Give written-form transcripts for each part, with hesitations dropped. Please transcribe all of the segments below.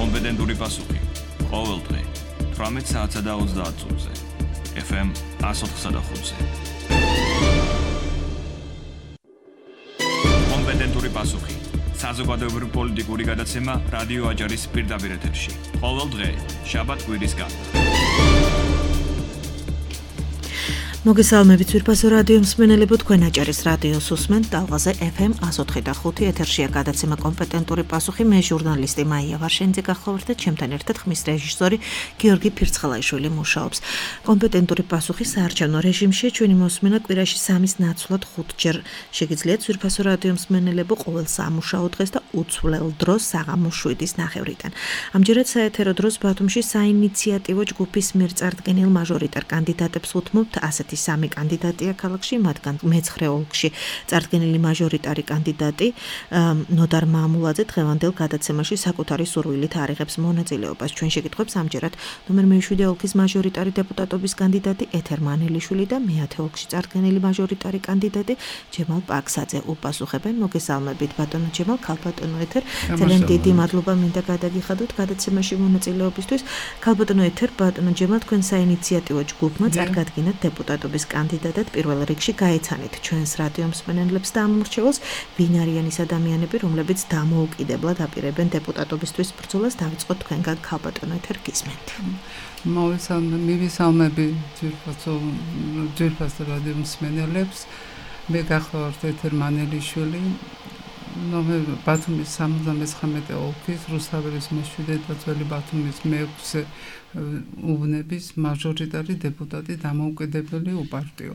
კომპეტენტური პასუხი. ყოველ დღე 18 საათსა და 30 წუთზე. FM 104.5-ზე. კომპეტენტური პასუხი. საზოგადოებრივი პოლიტიკური გადაცემა რადიო აჯარის პირდაპირ ეთერში. ყოველ დღე, შაბათ-კვირის გარდა. მოგესალმებით ვირფასო რადიო მსმენელებო, თქვენ აჭარის რადიოს უსმენთ ტალღაზე FM 104.5 ეთერშია გადაცემა კომპეტენტური პასუხი. მე ჟურნალისტი მაია ვარშენიძე გახლავართ და ჩემთან ერთად ხმის რეჟისორი გიორგი ფირცხალაიშვილი მუშაობს. კომპეტენტური პასუხი საარჩევნო რეჟიმში ჩვენი მოსმენა კვირაში 3-ის ნაცვლად 5 ჯერ შეგიძლიათ ვირფასო რადიო მსმენელებო ყოველ სამუშაო დღეს და უცვლელ დროს საღამო 7-ის ნახევრიდან. ამჯერად საეთერო დროს ბათუმში საინიციატივო ჯგუფის მიერ წარდგენილ მაჟორიტარ კანდიდატებს უთმობთ ასეთი სამი კანდიდატია ქალაქში, მათგან მე-9 ოლქში წარდგენილი მაჟორიტარი კანდიდატი ნოდარ მამულაძე დღევანდელ გადაცემაში საკუთარი სურვილით არიღებს მონაწილეობას. ჩვენ შეკითხვებს ამჯერად ნომერ მე-7 ოლქის მაჟორიტარი დეპუტატობის კანდიდატი ეთერ მანელიშვილი და მე-10 ოლქში წარდგენილი მაჟორიტარი კანდიდატი ჯემალ პაქსაძე უპასუხებენ. მოგესალმებით ბატონო ჯემალ, ქალბატონო ეთერ. ძალიან დიდი მადლობა მინდა გადაგიხადოთ გადაცემაში მონაწილეობისთვის. ქალბატონო ეთერ, ბატონო ჯემალ, თქვენ საინიციატივო ჯგუფმა წარგადგინათ დეპუტატ კანდიდატად პირველ რიგში გაეცანით ჩვენს რადიო მსმენელებს და ამორჩეულს ვინ არიან ის ადამიანები, რომლებიც დამოუკიდებლად აპირებენ დეპუტატობისთვის ბრძოლას. დავიწყოთ თქვენგან ქალბატონო ეთერ, გისმენთ. მივისალმები ძვირფასო რადიო მსმენელებს. მე გახლავართ ეთერ მანელიშვილი, ბათუმის 79 ოლქის რუსთაველის მე-7 და ძველი ბათუმის მე-6 უბნების მაჟორიტარი დეპუტატი დამოუკიდებელი უპარტიო.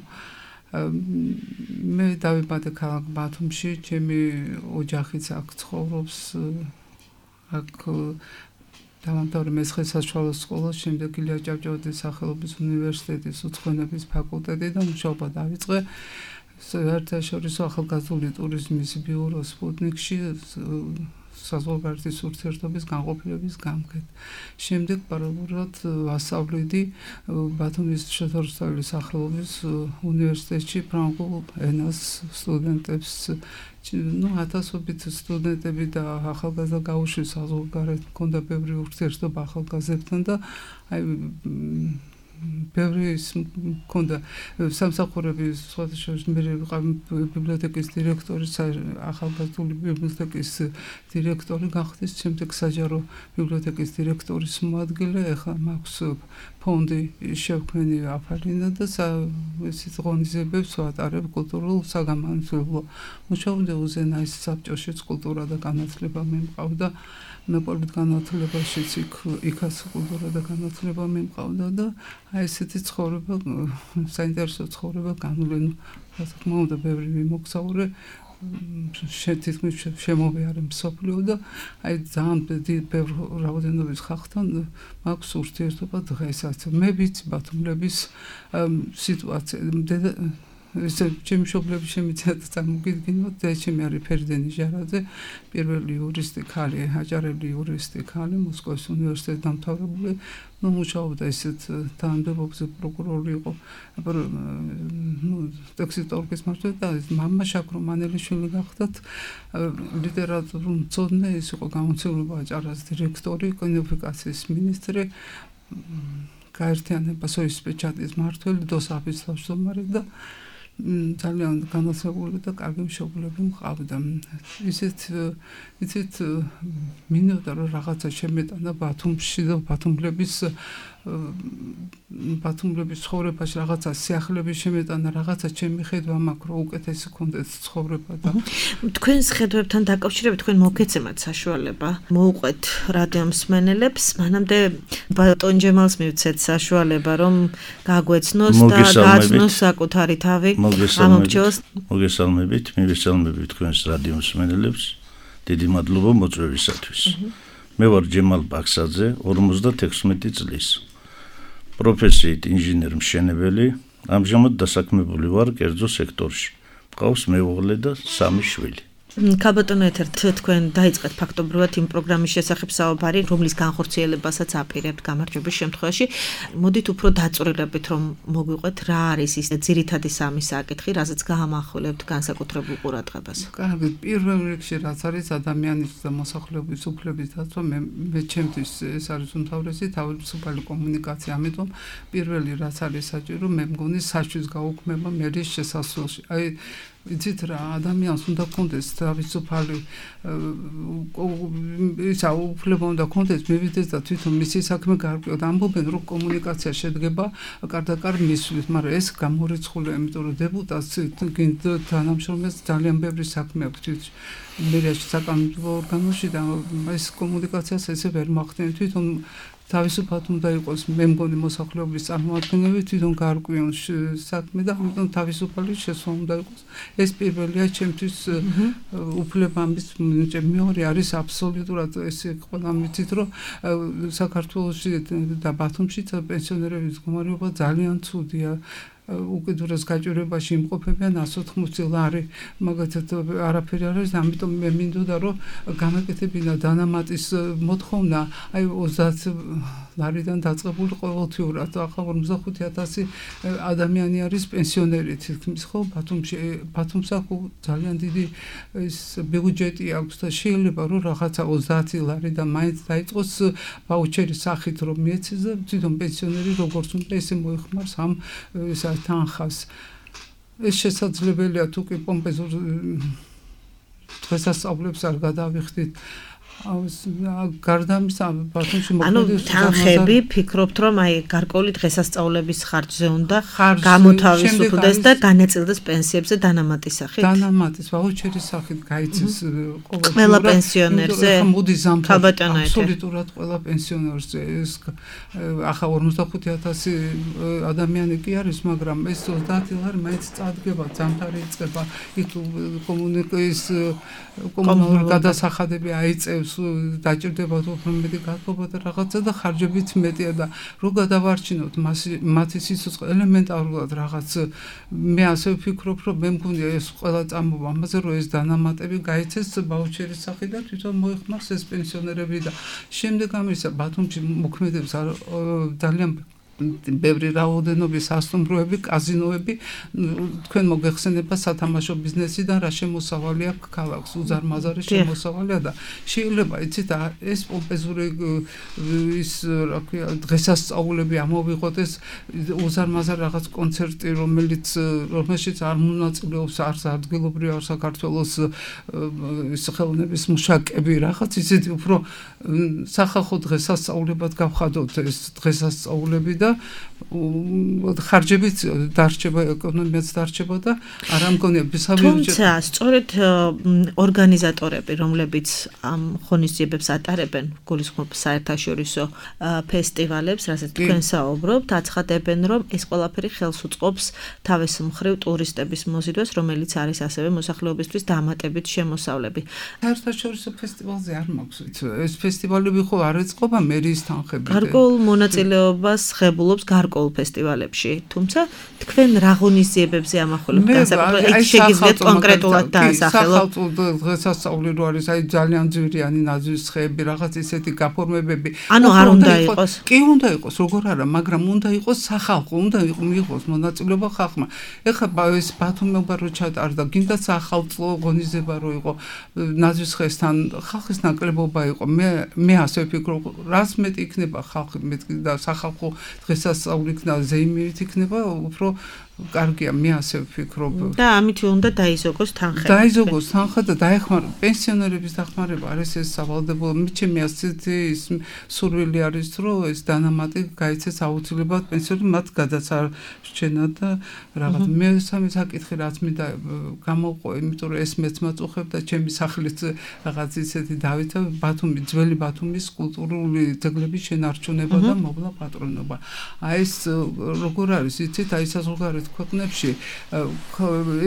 მე დავიბადე ქალაქ ბათუმში, ჩემი ოჯახიც აქ ცხოვრობს, აქ დავამთავრე მე-9 საშუალო სკოლა, შემდეგ ილია ჭავჭავაძის სახელობის უნივერსიტეტის უცხოენების ფაკულტეტი და მუშაობა დავიწყე საერთაშორისო ახალგაზრდული ტურიზმის ბიურო სპუტნიკში საზღვარგარეთის ურთიერთობის განყოფილების გამგედ. შემდეგ პარალელურად ვასწავლიდი ბათუმის რუსთაველის სახელობის უნივერსიტეტში ფრანგულ ენას სტუდენტებს. ათასობით სტუდენტები და ახალგაზრდა გაუშვი საზღვარგარეთ მქონდა ბევრი ურთიერთობა ახალგაზრდებთან და ბევრი მქონდა სამსახურების ბიბლიოთეკის დირექტორი, ახალგაზრდული ბიბლიოთეკის დირექტორი გახდის, შემდეგ საჯარო ბიბლიოთეკის დირექტორის მოადგილე, ახლა მაქვს ფონდი შევქმნი აფარინა და ესეთ ღონისძიებებს ვატარებ კულტურულ საგანმანათლებლო მუშაობდე უზენაეს საბჭოშიც კულტურა და განათლება მემყავდა. მეპოლიტ განათლებაშიც იქაც კულტურა და განათლება მემყავდა და აი ესეთი ცხოვრება, საინტერესო ცხოვრება განვლენო. რა თქმა უნდა, ბევრი მიმოგზაურე, თითქმის შემოვიარე მსოფლიო და აი ძალიან ბევრი რაოდენობის ხალხთან მაქვს ურთიერთობა დღესაც. მე ვიცი ბათუმლების სიტუაცია. ჩემი მშობლები შემიძლიათ წარმოგიდგინოთ, ჩემი არის ფერდენი ჟარაძე, პირველი იურისტი ქალი, აჭარელი იურისტი ქალი, მოსკოვის უნივერსიტეტის დამთავრებული, მუშაობდა ისეთ თანამდებობაზე, პროკურორი იყო, ტექსტის მმართველი და მამა შაქრო მანელიშვილი გახდათ, ლიტერატურულ მცოდნე, ის იყო გამომცემლობა აჭარას დირექტორი, კინოფიკაციის მინისტრი, გაერთიანება სოის პეჩატის მმართველი, დოსაფის თავმჯდომარე და ძალიან განათლებული და კარგი მშობლები მყავდა. ისეთ მინდოდა რომ რაღაცა შემეტანა ბათუმში და ბათუმლების ცხოვრებაში რაღაცა სიახლეების შემეტანა, რაღაცა ჩემი ხედვა მაქვს რომ უკეთესი კონდეთ ცხოვრება და თქვენს ხედვებთან დაკავშირებით თქვენ მოგეცემათ საშუალება მოუყვეთ რადიო მსმენელებს, მანამდე ბატონ ჯემალს მივცეთ საშუალება რომ გაგვეცნოს და გაცნოს საკუთარი თავი. მოგესალმებით, მივესალმებით თქვენს რადიო მსმენელებს. დიდი მადლობა მოწვევისათვის. მე ვარ ჯემალ პაქსაძე, 56 წლის. პროფესიით ინჟინერ-მშენებელი, ამჟამად დასაქმებული ვარ კერძო სექტორში. მყავს მეუღლე და 3 შვილი. ქალბატონო ეთერთ თქვენ დაიწყეთ ფაქტობრივად იმ პროგრამის შესახებ საუბარი, რომლის განხორციელებასაც აპირებთ გამარჯვების შემთხვევაში. მოდით უფრო დაწვრილებით რომ მოგვიყვეთ, რა არის ის ძირითადი სამი საკითხი, რასაც გაამახვილებთ განსაკუთრებულ ყურადღებას. კარგი, პირველ რიგში რაც არის ადამიანის და მოსახლეობის უფლების დაცვა, მე ჩემთვის ეს არის უმთავრესი თავისუფალი კომუნიკაცია, ამიტომ პირველი რაც არის საჭირო, მე მგონი საჩვის გაუქმება მერის შესასვლელში. აი იცით რა, ადამიანს უნდა კონდეს თავისუფალი ისა უფლება უნდა კონდეს მივიდეს და თვითონ მისი საქმე გაარკვიოთ. ამბობენ რომ კომუნიკაცია შედგება კარდაკარ მისვლის, მაგრამ ეს გამორიცხულია, იმიტომ რომ დეპუტატს თანამშრომლებს ძალიან ბევრი საქმე აქვს მერიაში საკანონმდებლო ორგანოში და ეს კომუნიკაციას ესე ვერ მახდენ თვითონ თავისუფლად უნდა იყოს მე მგონი მოსახლეობის წარმომადგენლები თვითონ გაარკვიონ საქმე და ამიტომ თავისუფალი შესვლა უნდა იყოს. ეს პირველია ჩემთვის უფლებამის მეორე არის აბსოლუტურად ეს ყველა მიცით რომ საქართველოში და ბათუმში პენსიონერების მდგომარეობა ძალიან ცუდია. უკიდურეს გაჭირვებაში იმყოფებიან 180 ლარი, მაგათაც არაფერი არ არის, ამიტომ მე მინდოდა რომ გამეკეთებინა დანამატის მოთხოვნა, აი 30 ლარიდან დაწყებული ყოველთვიურად, ახლა 45,000 ადამიანი არის პენსიონერი თითქმის, ხო, ბათუმს აქვს ძალიან დიდი ის ბიუჯეტი აქვს და შეიძლება რომ რაღაცა 30 ლარიდან მაინც დაიწყოს ვაუჩერის სახით რომ მიეცეს და თვითონ პენსიონერი როგორც უნდა ესე მოიხმარს ამ თანხას. ეს შესაძლებელია თუ კი პომპეზურ დღესასწაულებს არ გადავიხდით. გარდა ამისა ბათუმში მოქმედებს თანხები ფიქრობთ რომ აი გარკვეული დღესასწაულების ხარჯზე უნდა გამოთავისუფლდეს და განაწილდეს პენსიებზე დანამატის სახით. დანამატის ვაუჩერის სახით გაიცეს ყველა პენსიონერზე. მოდი ზამთარ აბსოლუტურად ყველა პენსიონერზე. ეს ახლა 45,000 ადამიანი კი არის, მაგრამ ეს 30 ლარი მაინც წადგება, ზამთარი იწყება, იქ კომუნალური გადასახადები აიწევს დაჭირდება უფრო მეტი გათხოვება და რაღაცა და ხარჯებიც მეტია და რო გადავარჩინოთ მათი სიცოცხლე ელემენტარულად რაღაც მე ასე ვფიქრობ რომ მე მგონია ეს ყველა წამოვა ამაზე რომ ეს დანამატები გაიცეს ბაუჩერის სახით და თვითონ მოიხმარს ეს პენსიონერები და შემდეგ ამისა ბათუმში მოქმედებს ძალიან ბევრი რაოდენობის სასტუმროები, კაზინოები, თქვენ მოგეხსენება სათამაშო ბიზნესიდან რა შემოსავალი აქვს ქალაქს, უზარმაზარი შემოსავალია და შეიძლება იცით ეს პომპეზური ის რა ქვია დღესასწაულები ამოვიღოთ ეს უზარმაზარ რაღაც კონცერტი რომელშიც არ მონაწილეობს არც ადგილობრივი არ საქართველოს ის ხელოვნების მუშაკები რაღაც ისეთი უფრო სახალხო დღესასწაულებად გავხადოთ ეს დღესასწაულები და ხარჯებიც დარჩება, ეკონომიაც დარჩება და არ ამგონია ბიზნესები. თუმცა, სწორედ ორგანიზატორები, რომლებიც ამ ღონისძიებებს ატარებენ, გულისხმობ საერთაშორისო ფესტივალებს, რასაც თქვენ საუბრობთ, აცხადებენ, რომ ეს ყველაფერი ხელს უწყობს თავის მხრივ ტურისტების მოზიდვას, რომელიც არის ასევე მოსახლეობისთვის დამატებით შემოსავლები. საერთაშორისო ფესტივალზე არ მაქვს, ეს ფესტივალები ხო არ ეწყობა მერის თანხებით. გარკვეულ მონაწილეობას ღებულობს გარკვეულ ფესტივალებში, თუმცა თქვენ რა ღონისძიებებზე ამახვილებთ განსაკუთრებით, იქ შეგიძლიათ კონკრეტულად დაასახელოთ. სახალხო დღესასწაული რო არის, აი ძალიან ძვირიანი ნაძვის ხეები, რაღაც ისეთი გაფორმებები. ანუ არ უნდა იყოს. კი უნდა იყოს, როგორ არა, მაგრამ უნდა იყოს სახალხო, უნდა მიიღოს მონაწილეობა ხალხმა. ეხლა ეს ბათუმობა რო ჩატარდა, გინდა სახალხო ღონისძიება რო იყო ნაძვის ხესთან, ხალხის ნაკლებობა იყო. მე ასე ვფიქრობ, რას მეტი იქნება ხალხი და სახალხო დღესასწაული იქნება ზეიმით იქნება უფრო კარგია მე ასე ვფიქრობ და ამით უნდა დაიზოგოს თანხა დაიზოგოს თანხა და დაეხმარო პენსიონერების დახმარება არის ეს სავალდებულო მიჩემი ასეთი ის სურვილი არის რომ ეს დანამატი გაიცეს აუცილებლად პენსიონერებს მათ გადასარჩენა და რაღაც მე სამი საკითხი რაც მინდა გამოვყო იმიტომ რომ ეს მეც მაწუხებდა ჩემი სახლის რაღაც ისეთი დავითა ბათუმი ძველი ბათუმის კულტურული ძეგლების შენარჩუნება და მოვლა პატრონობა აი ეს როგორ არის იცით აი საზღვარგარეთ ქვეყნებში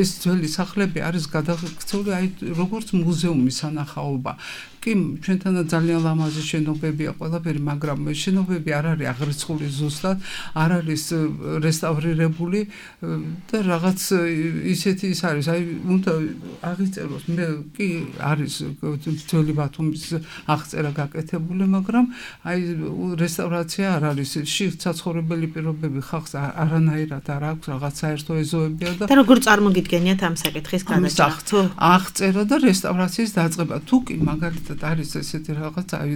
ეს ძველი სახლები არის გადაქცეული აი როგორც მუზეუმის სანახაობა კი ჩვენთან ძალიან ლამაზი შენობებია ყველაფერი, მაგრამ შენობები არ არის აღრიცხული ზუსტად, არ არის რესტავრირებული და რაღაც ისეთი ის არის, აი უნდა აღიწეროს, მე კი არის ძველი ბათუმის აღწერა გაკეთებული, მაგრამ აი რესტავრაცია არ არის, საცხოვრებელი პირობები ხალხს არანაირად არ აქვს, რაღაც საერთო ეზოებია და როგორ წარმოგიდგენიათ ამ საკითხის გადაჭრა? აღწერა და რესტავრაციის დაწყება. თუ კი მაგალითად არის ესეთი რაღაც, აი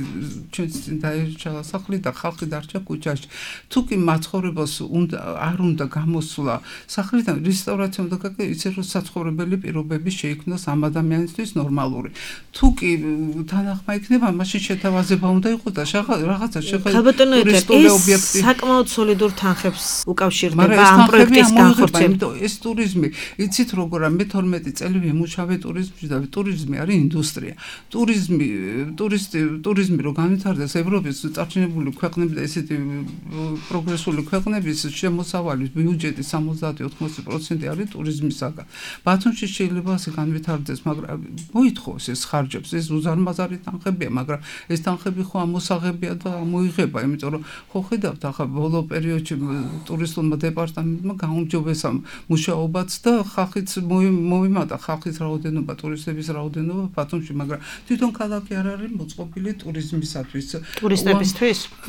ჩვენც წინ დაერჩა სახლი და ხალხი დარჩა ქუჩაში. თუ კი მაცხოვრებელს არ უნდა გამოსვლა სახლიდან, რესტავრაცია უნდა გაკეთდეს ისე, რომ საცხოვრებელი პირობები შეიქმნას ამ ადამიანისთვის ნორმალური. თუ კი თანახმა იქნება, მაშინ შეთავაზება უნდა იყოს და რაღაცა ტურისტული ობიექტი. საკმაოდ სოლიდურ თანხებს უკავშირდება ამ პროექტის განხორციელება. ეს ტურიზმი, იცით როგორა, მე 12 წელი ვიმუშავე ტურიზმში და ტურიზმი არის ინდუსტრია. ტურიზმი რო განვითარდეს ევროპის წარჩინებული ქვეყნები და ესეთი პროგრესული ქვეყნების შემოსავალის ბიუჯეტის 70-80% არის ტურიზმისაგან. ბათუმში შეიძლება ასე განვითარდეს, მაგრამ მოითხოვს ეს ხარჯებს, ეს უზარმაზარი თანხებია, მაგრამ ეს თანხები ხო ამოსაღებია და მოიღება, იმიტომ რომ ხო ხედავთ ახლა ბოლო პერიოდში ტურისტულმა დეპარტამენტმა გაუმჯობესა მუშაობაც და ხალხიც მოიმატა ხალხის რაოდენობა, ტურისტების რაოდენობა ბათუმში, მაგრამ თვითონ ქალაქი არ არის მოწყობილი ტურიზმისათვის.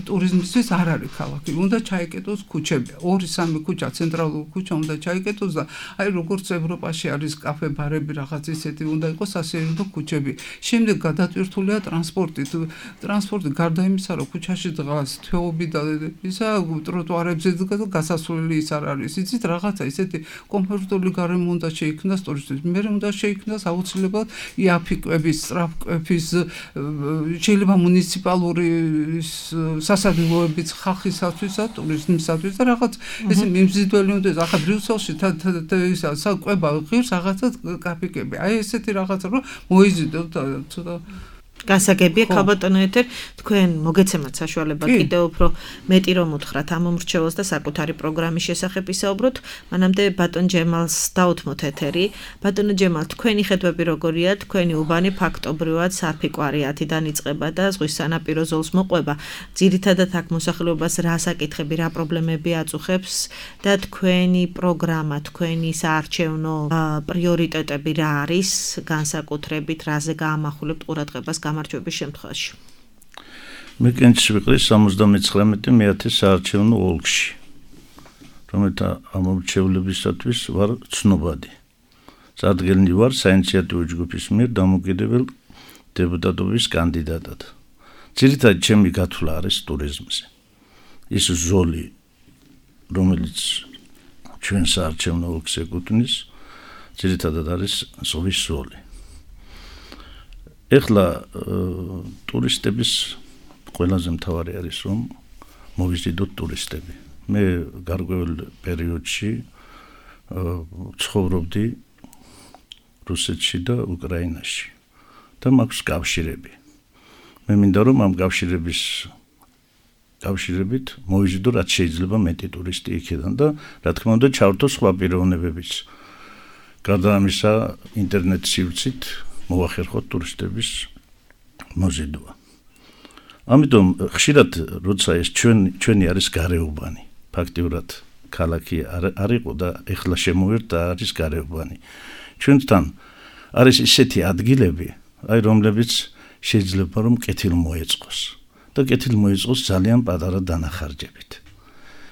ტურიზმისთვის არ არის ქალაქი. უნდა ჩაიკეტოს ქუჩები. 2-3 ქუჩა, ცენტრალური ქუჩა უნდა ჩაიკეტოს და აი როგორც ევროპაში არის კაფე, ბარები, რაღაც ისეთი უნდა იყოს ასეულო ქუჩები. შემდეგ გადატვირთულია ტრანსპორტი. ტრანსპორტი გარდა იმისა, რომ ქუჩაში დგას თვეობი და ისა ტროტუარებზე გასასვლელი ის არ არის. იცით რაღაცა ისეთი კომფორტული გარემო უნდა შეიქმნას ტურისტებს. მე უნდა შეიქმნას აუცილებლად იაფიკვების, სწრაფკვების, შეიძლება მუნიციპალური სასადილოებიც ხალხისათვის და ტურიზმისათვის და რაღაც ესე მიმზიდველი უნდა ის. ახლა ბრიუსელში ისა კვება ღირს რაღაცა კაფიკები. აი ესეთი რაღაცა რომ მოიზიდოთ ცოტა გასაგებია ქალბატონო ეთერ, თქვენ მოგეცემათ საშუალება კიდევ უფრო მეტი რომ უთხრათ ამ მომრჩეველს და საკუთარი პროგრამის შესახებ ისაუბროთ. მანამდე ბატონ ჯემალს დაუთმოთ ეთერი. ბატონო ჯემალ, თქვენი ხედვები როგორია? თქვენი უბანი ფაქტობრივად სარფიკვარი 10-დან იწყება და ზღვის სანაპირო ზოლს მოყვება. ძირითადად აქ მოსახლეობას რა საკითხები, რა პრობლემები აწუხებს და თქვენი პროგრამა, თქვენი საარჩევნო პრიორიტეტები რა არის, განსაკუთრებით რაზე გაამახვილებთ ყურადღებას გამარჯვების შემთხვევაში? მე კენჭში ვიყრი 79 მეათე საარჩევნო ოლქში, რომელთა ამომრჩევლებისათვის ვარ ცნობადი. წარდგენილი ვარ საინიციატივო ჯგუფის მიერ დამოუკიდებელ დეპუტატობის კანდიდატად. ძირითადად ჩემი გათვლა არის ტურიზმზე. ის ზოლი, რომელიც ჩვენ საარჩევნო ოლქს ეკუთვნის, ძირითადად არის ზღვის ზოლი. ეხლა ტურისტების ყველაზე მთავარი არის რომ მოვიზიდოთ ტურისტები. მე გარკვეულ პერიოდში ცხოვრობდი რუსეთში და უკრაინაში და მაქვს კავშირები. მე მინდა რომ ამ კავშირებით მოვიზიდო რაც შეიძლება მეტი ტურისტი იქიდან და რა თქმა უნდა ჩავერთო სხვა პიროვნებებიც. გარდა ამისა ინტერნეტ სივრცით მოახერხოთ ტურისტების მოზიდვა. ამიტომ ხშირად როცა ეს ჩვენი არის გარეუბანი, ფაქტიურად ქალაქი არ იყო და ეხლა შემოვერთ და არის გარეუბანი. ჩვენთან არის ისეთი ადგილები, აი რომლებიც შეიძლება რომ კეთილ მოეწყოს და კეთილ მოეწყოს ძალიან პატარა დანახარჯებით.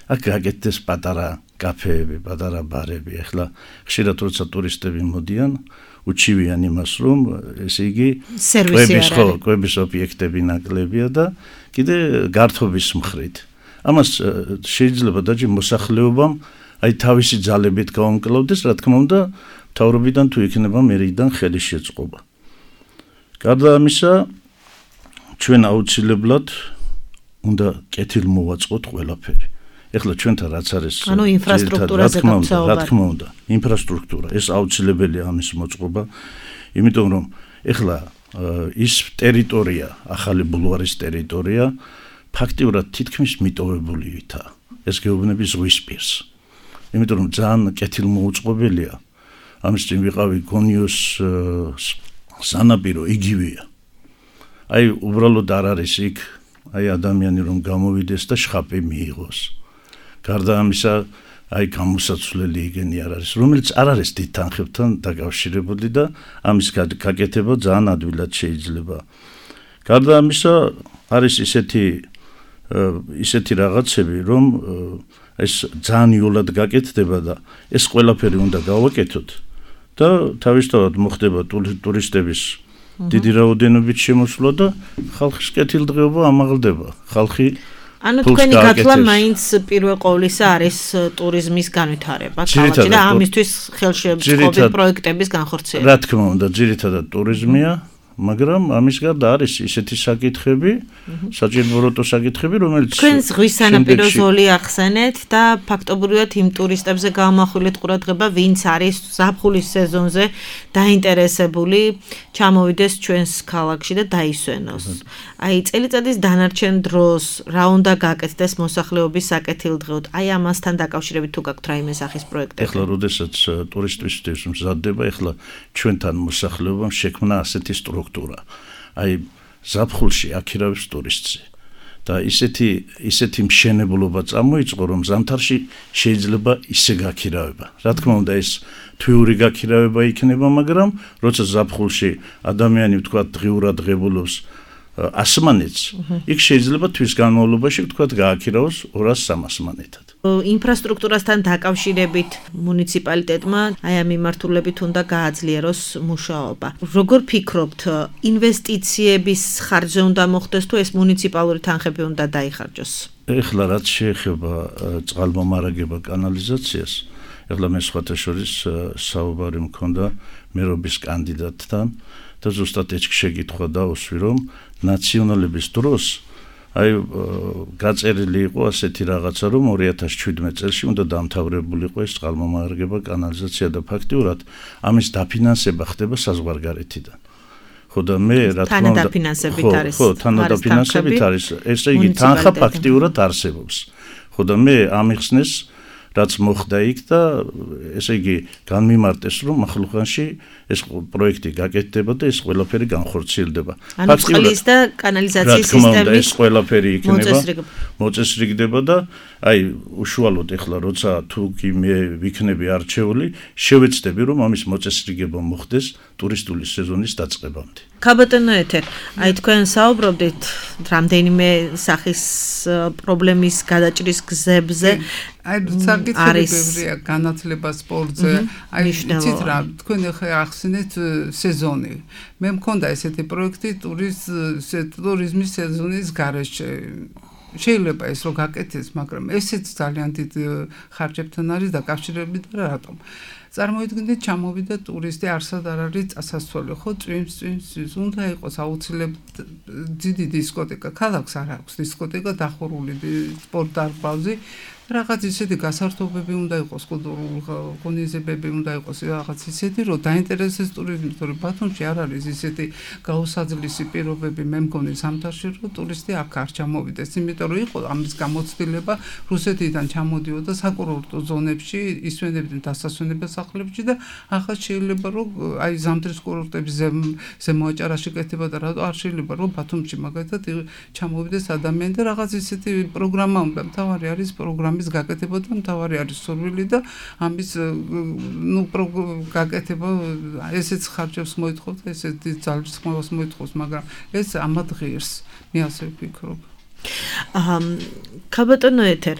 აქ გაკეთდეს პატარა კაფეები, პატარა ბარები. ეხლა ხშირად როცა ტურისტები მოდიან უჩივიან იმას, რომ ესე იგი კვების ობიექტები ნაკლებია და კიდე გართობის მხრით. ამას შეიძლება დაჯი მოსახლეობამ აი თავისი ძალებით გაუმკლავდეს, რა თქმა უნდა, მთავრობიდან თუ იქნება მერიდან ხელის შეწყობა. გარდა ამისა, ჩვენ აუცილებლად უნდა კეთილ მოვაწყოთ ყველაფერი. ეხლა ჩვენთან რაც არის ინფრასტრუქტურაზე რა თქმა უნდა, ინფრასტრუქტურა ეს აუცილებელია ამის მოწყობა, იმიტომ რომ ეხლა ის ტერიტორია, ახალი ბულვარის ტერიტორია ფაქტიურად თითქმის მიტოვებულითა. ეს გეუბნები ზღვის პირს. იმიტომ რომ ძალიან კეთილმოუწყობელია. ამის წინ ვიყავი გონიოს სანაპირო იგივეა. აი უბრალოდ არ არის იქ აი ადამიანი რომ გამოვიდეს და შხაპი მიიღოს. გარდა ამისა აი გამოსაცვლელი იგენი არ არის, რომელიც არ არის დიდ თანხებთან დაკავშირებული და ამის გაკეთება ძალიან ადვილად შეიძლება. გარდა ამისა არის ისეთი რაღაცები, რომ ეს ძალიან იოლად გაკეთდება და ეს ყველაფერი უნდა გავაკეთოთ და თავისთავად მოხდება ტურისტების დიდი რაოდენობით შემოსვლა და ხალხის კეთილდღეობა ამაღლდება. ხალხი ანუ თქვენი გათვლა მაინც პირველ ყოვლისა არის ტურიზმის განვითარება ქალაქში და ამისთვის ხელშეწყობილ პროექტების განხორციელება. რა თქმა უნდა, ძირითადად ტურიზმია, მაგრამ ამის გარდა არის ისეთი საკითხები, საჭიროებო საკითხები, რომელიც თქვენ ზღვის სანაპირო ზოლი ახსენეთ და ფაქტობრივად იმ ტურისტებზე გამახვილეთ ყურადღება, ვინც არის ზაფხულის სეზონზე დაინტერესებული, ჩამოვიდეს ჩვენს ქალაქში და დაისვენოს. აი წელიწადის დანარჩენ დროს რა უნდა გაკეთდეს მოსახლეობის საკეთილდღეოდ? აი ამასთან დაკავშირებით თუ გაქვთ რაიმე სახის პროექტები? ეხლა როდესაც ტურისტისთვის მზადდება, ეხლა ჩვენთან მოსახლეობამ შექმნა ასეთი სტრუქტურა. აი ზაფხულში აქირავებს ტურისტზე და ისეთი მშენებლობა წამოიწყო, რომ ზამთარში შეიძლება ისე გაქირავება. რა თქმა უნდა ეს თვიური გაქირავება იქნება, მაგრამ როცა ზაფხულში ადამიანი ვთქვათ დღიურად ღებულობს ასმანეთს, იქ შეიძლება თვის განმავლობაში ვთქვათ გააქირავოს 200-300 მანეთად. ინფრასტრუქტურასთან დაკავშირებით მუნიციპალიტეტმა აი ამ მიმართულებით უნდა გააძლიეროს მუშაობა. როგორ ფიქრობთ, ინვესტიციების ხარჯზე უნდა მოხდეს თუ ეს მუნიციპალური თანხები უნდა დაიხარჯოს? ეხლა რაც შეეხება წყალმომარაგება კანალიზაციას, ეხლა მე სხვათა შორის საუბარი მქონდა მერობის კანდიდატთან და ზუსტად ეს შეკითხვა დავუსვი, რომ ნაციონალების დროს აი გაწერილი იყო ასეთი რაღაცა, რომ 2017 წელს უნდა დამთავრებულიყო ეს წყალმომარაგება კანალიზაცია და ფაქტიურად ამის დაფინანსება ხდება საზღვარგარეთიდან. ხო და მე რა თქმა უნდა ხო თანადაფინანსებით არის, ესე იგი თანხა ფაქტიურად არსებობს. ხო და მე ამიხსნეს რაც მოხდა იქ და ესე იგი განმიმარტეს, რომ ახლახანში ეს პროექტი გაკეთდება და ეს ყველაფერი განხორციელდება. ანუ წყლის და კანალიზაციის სისტემის ეს ყველაფერი იქნება მოწესრიგდება და აი უშუალოდ ეხლა როცა თუ კი მე ვიქნები არჩეული, შევეცდები რომ ამის მოწესრიგება მოხდეს ტურისტული სეზონის დაწყებამდე. ქაბატონო ეთერ, აი თქვენ საუბრობდით რამდენიმე სახის პრობლემის გადაჭრის გზებზე. აი საკითხებია განათლება სპორტზე. აი იცით რა, თქვენ ახლა ახსენეთ სეზონი. მე მქონდა ესეთი პროექტი ტურიზმის სეზონის გარეშე. შეიძლება ეს რო გაკეთდეს, მაგრამ ესეც ძალიან დიდ ხარჯებთან არის დაკავშირებული და რატომ? წარმოიდგინეთ, ჩამოვიდა ტურისტი, არსად არ არის წასასვლელი, ხო, წვიმს, უნდა იყოს აუცილებლად დიდი დისკოტეკა. ქალაქს არ აქვს დისკოტეკა, დახურული სპორტ დარბაზი. რაღაც ისეთი გასართობები უნდა იყოს, კულტურული ღონისძიებები უნდა იყოს, რაღაც ისეთი, რომ დაინტერესდეს ტურიზმი, თორემ ბათუმში არ არის ისეთი გაუსაძლისი პირობები, მე მგონი ზამთარში, რომ ტურისტი აქ არ ჩამოვიდეს, იმიტომ რომ იყო ამის გამოცდილება რუსეთიდან ჩამოდიოდა საკურორტო ზონებში, ისვენებდნენ დასასვენებას სახლებში და ახლა შეიძლება რომ აი ზამთრის კურორტების ზემოაჭარაში კეთება და რატო არ შეიძლება რომ ბათუმში მაგალითად ჩამოვიდეს ადამიანი და რაღაც ისეთი პროგრამა უნდა, მთავარი არის პროგრამის გაკეთება და მთავარი არის სურვილი და ამის გაკეთება ესეც ხარჯებს მოითხოვს, ესეც ძალის ხმას მოითხოვს, მაგრამ ეს ამად ღირს, მე ასე ვფიქრობ. ქაბატონო ეთერ,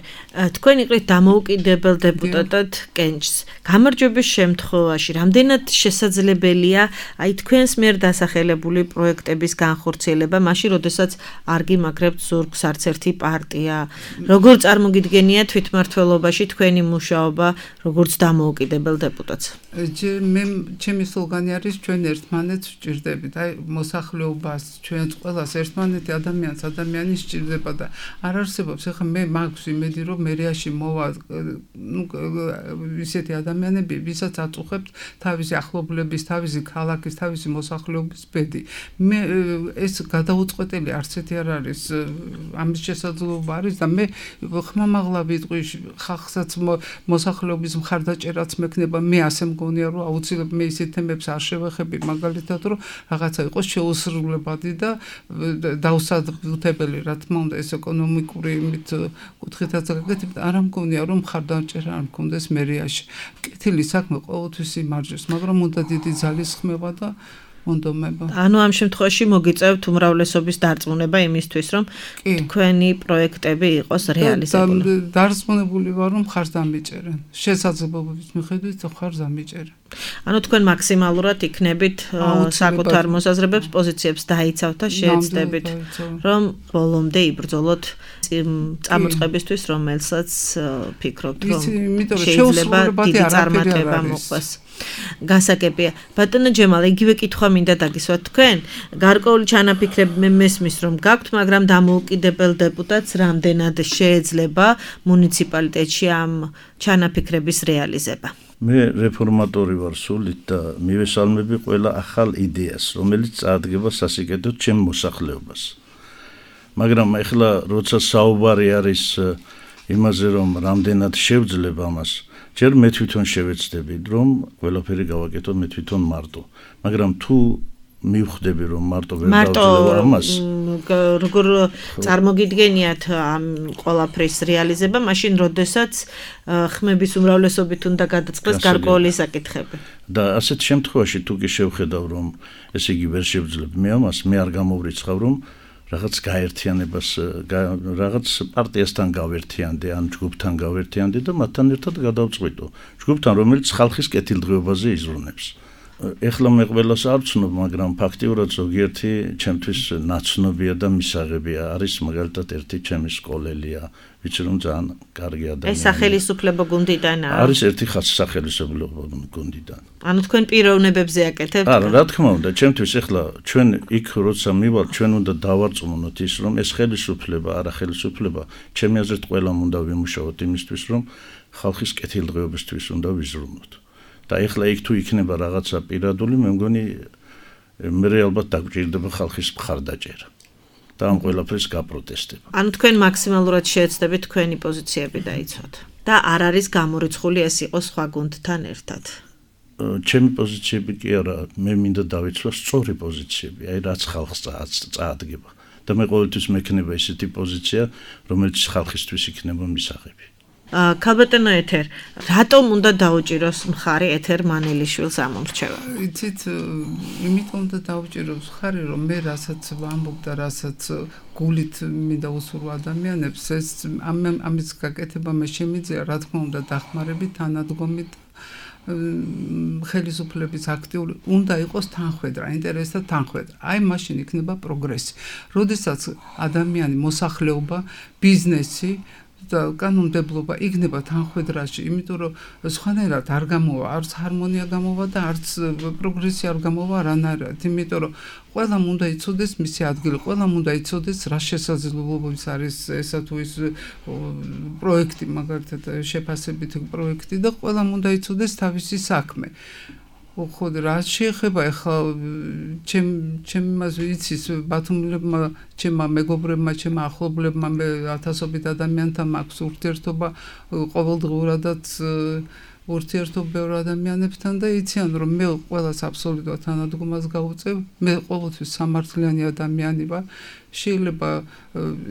თქვენ იყრით დამოუკიდებელ დეპუტატად კენჭს. გამარჯვების შემთხვევაში რამდენად შესაძლებელია აი თქვენს მიერ დასახელებული პროექტების განხორციელება, მაშინ როდესაც არ გიმაგრებთ ზურგს არც ერთი პარტია? როგორ წარმოგიდგენია თვითმმართველობაში თქვენი მუშაობა, როგორც დამოუკიდებელ დეპუტატს? მე ჩემი სლოგანი არის ჩვენ ერთმანეთს ვჭირდებით. აი მოსახლეობას, ჩვენს ყველას ერთმანეთი ადამიანის სჭირდება არსებობა და არ არსებობს. ეხლა მე მაქვს იმედი, რომ მერიაში მოვა ისეთი ადამიანები, ვისაც აწუხებთ თავისი ახლობლების, თავისი ქალაქის, თავისი მოსახლეობის ბედი. მე ეს გადაუწყვეტელი არც ერთი არ არის, ამის შესაძლებლობა არის და მე ხმამაღლა ვიტყვი ხალხსაც მოსახლეობის მხარდაჭერაც მექნება. მე ასე მგონია, რომ აუცილებლად მე ისეთ თემებს არ შევეხები, მაგალითად, რომ რაღაცა იყოს შეუსრულებადი და დაუსაბუთებელი, რა თქმა უნდა, ეს ეკონომიკური იმით კუთხითაც გაკეთებ, არა მგონია, რომ მხარდაჭერა არ მქონდეს მერიაში. კეთილი საქმე ყოველთვის იმარჯვებს, მაგრამ უნდა დიდი ძალის ხმება და მონდომება. ანუ ამ შემთხვევაში მოგიწევთ უმრავლესობის დარწმუნება იმისთვის, რომ თქვენი პროექტები იყოს რეალიზებული. დარწმუნებული ვარ, რომ ხარს დამიჭერენ. შესაძლებლობების მიხედვით ხარს დამიჭერენ. ანუ თქვენ მაქსიმალურად იქნებით საკუთარ მოსაზრებებს, პოზიციებს დაიცავთ და შეეცდებით, რომ ბოლომდე იბრძოლოთ წამოწყებისთვის, რომელსაც ფიქრობთ, რომ შეიძლება დიდი წარმატება მოყვეს. გასაგებია. ბატონო ჯემალ, იგივე კითხვა მინდა დაგისვათ თქვენ. გარკვეული ჩანაფიქრები მე მესმის, რომ გაქვთ, მაგრამ დამოუკიდებელ დეპუტატს რამდენად შეეძლება მუნიციპალიტეტში ამ ჩანაფიქრების რეალიზება? მე რეფორმატორი ვარ სულით და მივესალმები ყველა ახალ იდეას, რომელიც წარადგება სასიკეთოდ ჩემ მოსახლეობას. მაგრამ ეხლა როცა საუბარი არის იმაზე, რომ რამდენად შევძლებ ამას, ჯერ მე თვითონ შევეცდები, რომ ყველაფერი გავაკეთო მე თვითონ მარტო. მაგრამ თუ მივხვდები, რომ მარტო ვერ დავძლევ ამას, როგორ წარმოგიდგენიათ ამ ყველაფრის რეალიზება, მაშინ როდესაც ხმების უმრავლესობით უნდა გადაწყდეს გარკვეული საკითხები. და ასეთ შემთხვევაში თუ კი შევხედავ, რომ ესე იგი ვერ შევძლებ მე ამას, მე არ გამოვრიცხავ, რომ რაღაც გაერთიანებას, რაღაც პარტიასთან გავერთიანდე, ან ჯგუფთან გავერთიანდე და მათთან ერთად გადავწყვიტო. ჯგუფთან, რომელიც ხალხის კეთილდღეობაზე იზრუნებს. ეხლა მე ყველას არ ვცნობ, მაგრამ ფაქტიურად ზოგიერთი ჩემთვის ნაცნობია და მისაღებია. არის მაგალითად ერთი ჩემი სკოლელია, ვიცი რომ ძალიან კარგი ადამიანია. ეს სახელისუფლებო გუნდიდანაა? არის ერთი სახელისუფლებო გუნდიდან. ანუ თქვენ პიროვნებებზე აკეთებთ? არა, რა თქმა უნდა, ჩემთვის ეხლა ჩვენ იქ როცა მივალ, ჩვენ უნდა დავარწმუნოთ ის, რომ ეს ხელისუფლება, არა ხელისუფლება, ჩემი აზრით ყველამ უნდა ვიმუშაოთ იმისთვის, რომ ხალხის კეთილდღეობისთვის უნდა ვიზრუნოთ. და ეხლა იქ თუ იქნება რაღაცა პირადული, მე მგონი მე ალბათ დაგჭირდება ხალხის მხარდაჭერა და ამ ყველაფერს გაპროტესტება. ანუ თქვენ მაქსიმალურად შეეცდებით თქვენი პოზიციები დაიცვათ და არ არის გამორიცხული ეს იყოს სხვა გუნდთან ერთად. ჩემი პოზიციები კი არა, მე მინდა დავიცვა სწორი პოზიციები, აი რაც ხალხს წაადგება და მე ყოველთვის მექნება ისეთი პოზიცია, რომელიც ხალხისთვის იქნება მისაღები. ქალბატონო ეთერ, რატომ უნდა დაუჭიროს მხარი ეთერ მანელიშვილს ამორჩევა? იცით, იმიტომ უნდა დაუჭიროს მხარი, რომ მე რასაც ვამბობ და რასაც გულით მინდა უსურვო ადამიანებს, ეს ამის გაკეთება მე შემიძლია, რა თქმა უნდა, დახმარებით, თანადგომით ხელისუფლების აქტიური უნდა იყოს თანხwebdriver, ინტერესთა თანხwebdriver. აი მაშინ იქნება პროგრესი. როდესაც ადამიანი, მოსახლეობა, ბიზნესი და კანონმდებლობა იქნება თანხwebdriverში, იმიტომ რომ სხვანაირად არ გამოვა, არც ჰარმონია გამოვა და არც პროგრესი არ გამოვა არანაირად, იმიტომ რომ ყველამ უნდა იცოდეს მისი ადგილი, ყველამ უნდა იცოდეს რა შესაძლებლობების არის ესა თუ ის პროექტი, მაგალითად შეფასებით პროექტი და ყველამ უნდა იცოდეს თავისი საქმე. ხო, რა შეეხება ახლა ჩემ იმას ვიცის ბათუმელებმა, ჩემმა მეგობრებმა, ჩემმა ახლობლებმა, მე ათასობით ადამიანთან მაქვს ურთიერთობა ყოველდღიურადაც ურთიერთობა ბევრ ადამიანებთან და იციან რომ მე ყველას აბსოლუტურად თანადგომას გავუწევ, მე ყოველთვის სამართლიანი ადამიანი ვარ. შეიძლება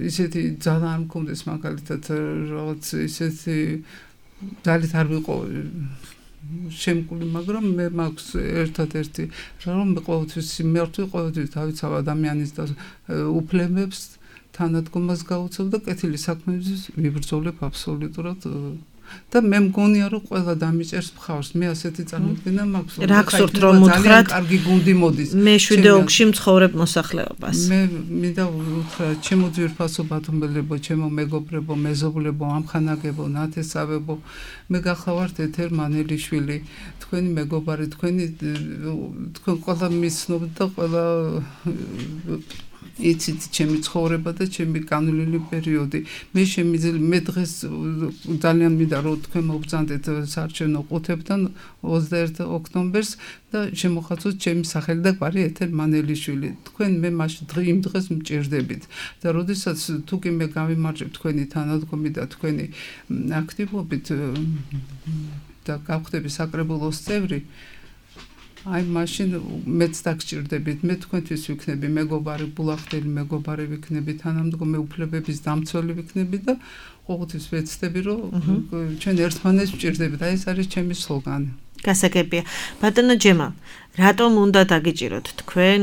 ისეთი ძალა არ მქონდეს მაგალითად რაღაც ისეთი ძალით არ ვიყო შემკული, მაგრამ მე მაქვს ერთადერთი რომ მე ყოველთვის სიმართლე, ყოველთვის დავიცავ ადამიანის და უფლებებს, თანადგომას გავუწევ და კეთილი საქმეების ვიბრძოლებ აბსოლუტურად და მე მგონია რომ ყველა დამიჭერს მხარს. მე ასეთი წარმოდგენა მაქვს. რა გსურთ რომ უთხრათ? კარგი გუნდი მოდის. მე შვიდეოგში მცხოვრებ მოსახლეობას. მე მინდა უთხრა ჩემო ძვირფასო ბათუმელებო, ჩემო მეგობრებო, მეზობლებო, ამხანაგებო, ნათესავებო, მე გახლავართ ეთერ მანელიშვილი, თქვენი მეგობარი, თქვენ ყველა მიცნობთ და ყველა იცით ჩემი ცხოვრება და ჩემი განვლილი პერიოდი. მე დღეს ძალიან მინდა რომ თქვენ მოგბრძანდეთ საარჩევნო ყუთებთან 21 ოქტომბერს და შემოხაცოთ ჩემი სახელი და გვარი ეთერ მანელიშვილი. თქვენ მე იმ დღეს მჭირდებით და როდესაც თუკი მე გავიმარჯვებ თქვენი თანადგომი და თქვენი აქტივობით და გავხდები საკრებულოს წევრი აი მაშინ მეც დაგჭირდებით მე თქვენთვის ვიქნები მეგობარი ბულახტელი მეგობარი ვიქნები თანამდგომი უფლებების დამცველი ვიქნები და ყოველთვის ვეცდები რომ ჩვენ ერთმანეთს ვჭირდებით აი ეს არის ჩემი სლოგანი გასაგებია ბატონო ჯემა რატომ უნდა დაგიჭიროთ თქვენ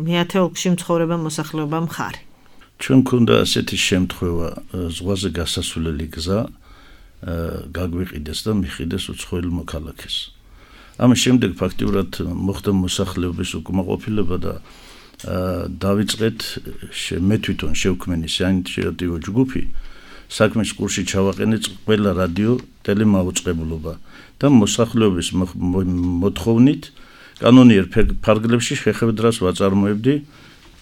მეათე ოლქში მცხოვრება მოსახლეობა მხარი ჩვენ გქონდა ასეთი შემთხვევა ზღვაზე გასასვლელი გზა გაგვიყიდეს და მიხიდეს უცხოელ მოქალაქეს ამის შემდეგ ფაქტიურად მოხდა მოსახლეობის უკმაყოფილება და დავიწყეთ მე თვითონ შევქმენი საინიციატივო ჯგუფი საქმის კურსში ჩავაყენეთ ყველა რადიო ტელემაუწყებლობა და მოსახლეობის მოთხოვნით კანონიერ ფარგლებში შეხვედრას ვაწარმოებდი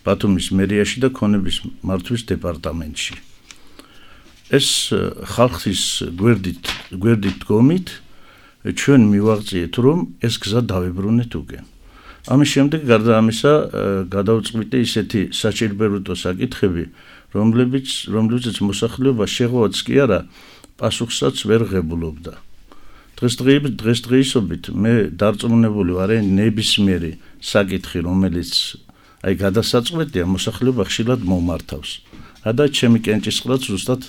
ბათუმის მერიაში და ქონების მართვის დეპარტამენტში ეს ხალხის გვერდით დგომით ჩვენ მივაღწიეთ რომ ეს გზა დავებრუნეთ უკენ. ამის შემდეგ გარდა ამისა გადავწყვიტე ისეთი საჭიროებითო საკითხები, რომლებიც მოსახლეობა შეღავაც კი არა, პასუხსაც ვერ ღებულობდა. დღესდღეობით მე დარწმუნებული ვარ ნებისმიერი საკითხი, რომელიც აი გადასაწყვეტია, მოსახლეობა ხშირად მომართავს. და ჩემი კენჭისყრაც ზუსტად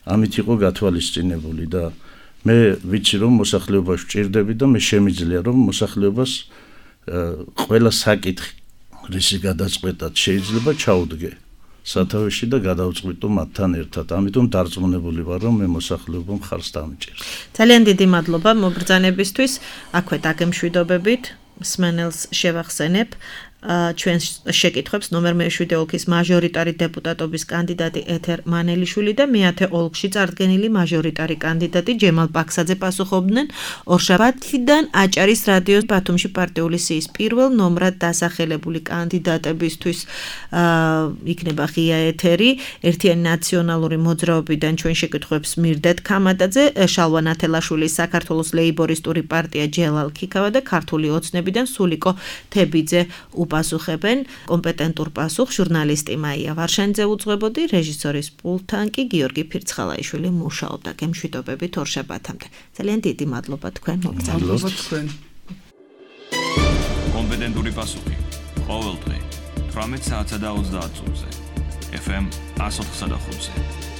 ამით იყო გათვალისწინებული და მე ვიცი რომ მოსახლეობას ვჭირდები და მე შემიძლია რომ მოსახლეობას ყველა საკითხი რისი გადაწყვეტად შეიძლება ჩაუდგე სათავეში და გადავწყვიტო მათთან ერთად. ამიტომ დარწმუნებული ვარ რომ მე მოსახლეობა მხარს დამჭირს. ძალიან დიდი მადლობა მობრძანებისთვის. აქვე დაგემშვიდობებით მსმენელს შევახსენებ ჩვენ შეკითხვებს ნომერ მე-7 ოლქის მაჟორიტარი დეპუტატობის კანდიდატი ეთერ მანელიშვილი და მე-10 ოლქში წარდგენილი მაჟორიტარი კანდიდატი ჯემალ პაქსაძე პასუხობდნენ ორშაბათიდან აჭარის რადიოს ბათუმში პარტიული სიის პირველ ნომრად დასახელებული კანდიდატებისთვის იქნება ღია ეთერი ერთიანი ნაციონალური მოძრაობიდან ჩვენ შეკითხვებს მირდეთ ქამატაძე შალვა ნათელაშვილის საქართველოს ლეიბორისტური პარტია ჯელალ ქიქავა და ქართული ოცნებიდან სულიკო თებიძე პასუხებენ კომპეტენტურ პასუხს ჟურნალისტი მაია ვარშანიძე უძღვებოდი რეჟისორის პულტთან კი გიორგი ფირცხალაიშვილი მუშაობდა გემშვიდობებით ორშაბათამდე ძალიან დიდი მადლობა თქვენ მოგზაურობთ კომპეტენტური პასუხი ყოველდღე 18 საათსა და 30 წუთზე FM 104.5